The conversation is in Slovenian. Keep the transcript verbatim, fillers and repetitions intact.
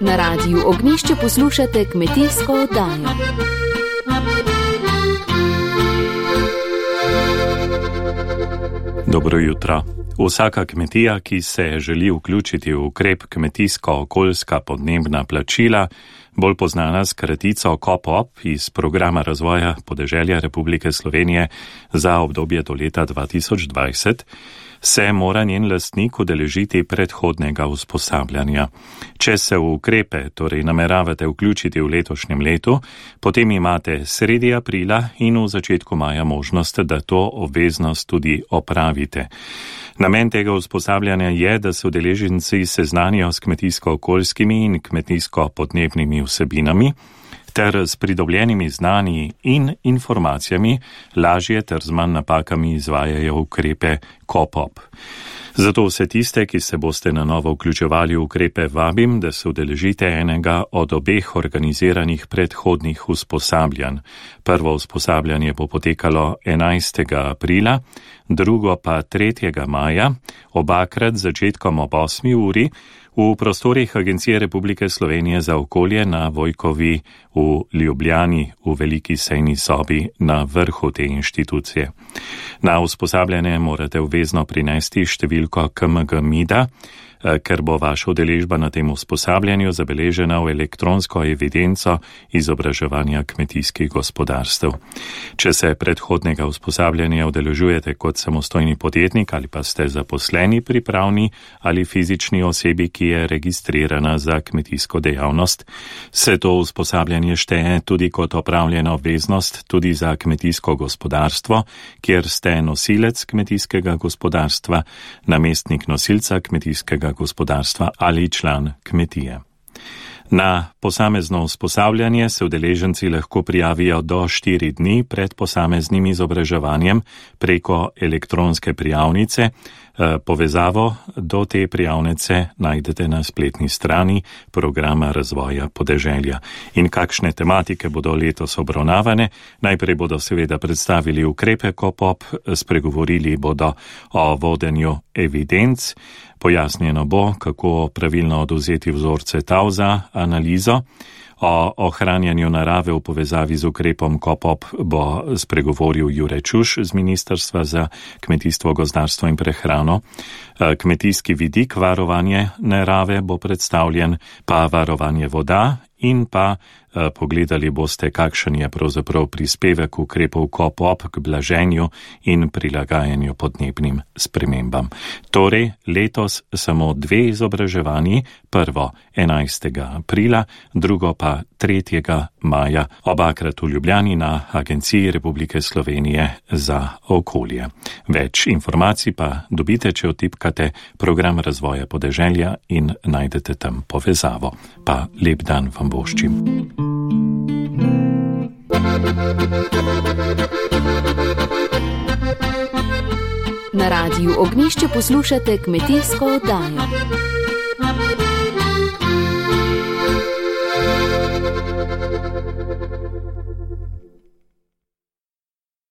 Na Radiu Ognjišče poslušate kmetijsko oddajo. Dobro jutro. Vsaka kmetija, ki se želi vključiti v ukrep kmetijsko-okoljska podnebna plačila, bolj poznana s kratico KOPOP iz programa razvoja podeželja Republike Slovenije za obdobje do leta dva tisoč dvajset, se mora njen lastnik udeležiti predhodnega usposabljanja. Če se v ukrepe torej nameravate vključiti v letošnjem letu, potem imate sredi aprila in v začetku maja možnost, da to obveznost tudi opravite. Namen tega usposabljanja je, da se udeleženci seznanijo s kmetijsko-okoljskimi in kmetijsko-podnebnimi vsebinami ter s pridobljenimi znanji in informacijami lažje ter z manj napakami izvajajo ukrepe KOPOP. Zato vse tiste, ki se boste na novo vključevali v ukrepe, vabim, da se udeležite enega od obeh organiziranih predhodnih usposabljanj. Prvo usposabljanje bo potekalo enajstega aprila, drugo pa tretjega maja, obakrat z začetkom ob osmi uri, v prostorih Agencije Republike Slovenije za okolje na Vojkovi v Ljubljani v veliki sejni sobi na vrhu te inštitucije. Na usposabljanje morate obvezno prinesti številko K M G M I D A, ker bo vaša udeležba na tem usposabljanju zabeležena v elektronsko evidenco izobraževanja kmetijskih gospodarstev. Če se predhodnega usposabljanja udeležujete kot samostojni podjetnik ali pa ste zaposleni pri pravni ali fizični osebi, ki je registrirana za kmetijsko dejavnost, se to usposabljanje šteje tudi kot opravljena obveznost tudi za kmetijsko gospodarstvo, kjer ste nosilec kmetijskega gospodarstva, namestnik nosilca kmetijskega gospodarstva ali član kmetije. Na posamezno usposabljanje se udeleženci lahko prijavijo do štiri dni pred posameznim izobraževanjem preko elektronske prijavnice. Povezavo do te prijavnice najdete na spletni strani programa razvoja podeželja. In kakšne tematike bodo letos obravnavane? Najprej bodo seveda predstavili ukrepe KOPOP, spregovorili bodo o vodenju evidenc, pojasnjeno bo, kako pravilno odvzeti vzorce tal za analizo. O ohranjanju narave v povezavi z ukrepom KOPOP bo spregovoril Jure Čuš z Ministrstva za kmetijstvo, gozdarstvo in prehrano. Kmetijski vidik varovanje narave bo predstavljen, pa varovanje voda in pa pogledali boste, kakšen je pravzaprav prispevek ukrepov KOPOP k blaženju in prilagajanju podnebnim spremembam. Torej, letos samo dve izobraževanji, prvo enajstega aprila, drugo pa tretjega maja, obakrat v Ljubljani na Agenciji Republike Slovenije za okolje. Več informacij pa dobite, če vtipkate program razvoja podeželja in najdete tam povezavo. Pa lep dan vam voščim. Na Radiu Ognjišče poslušate kmetijsko oddajo.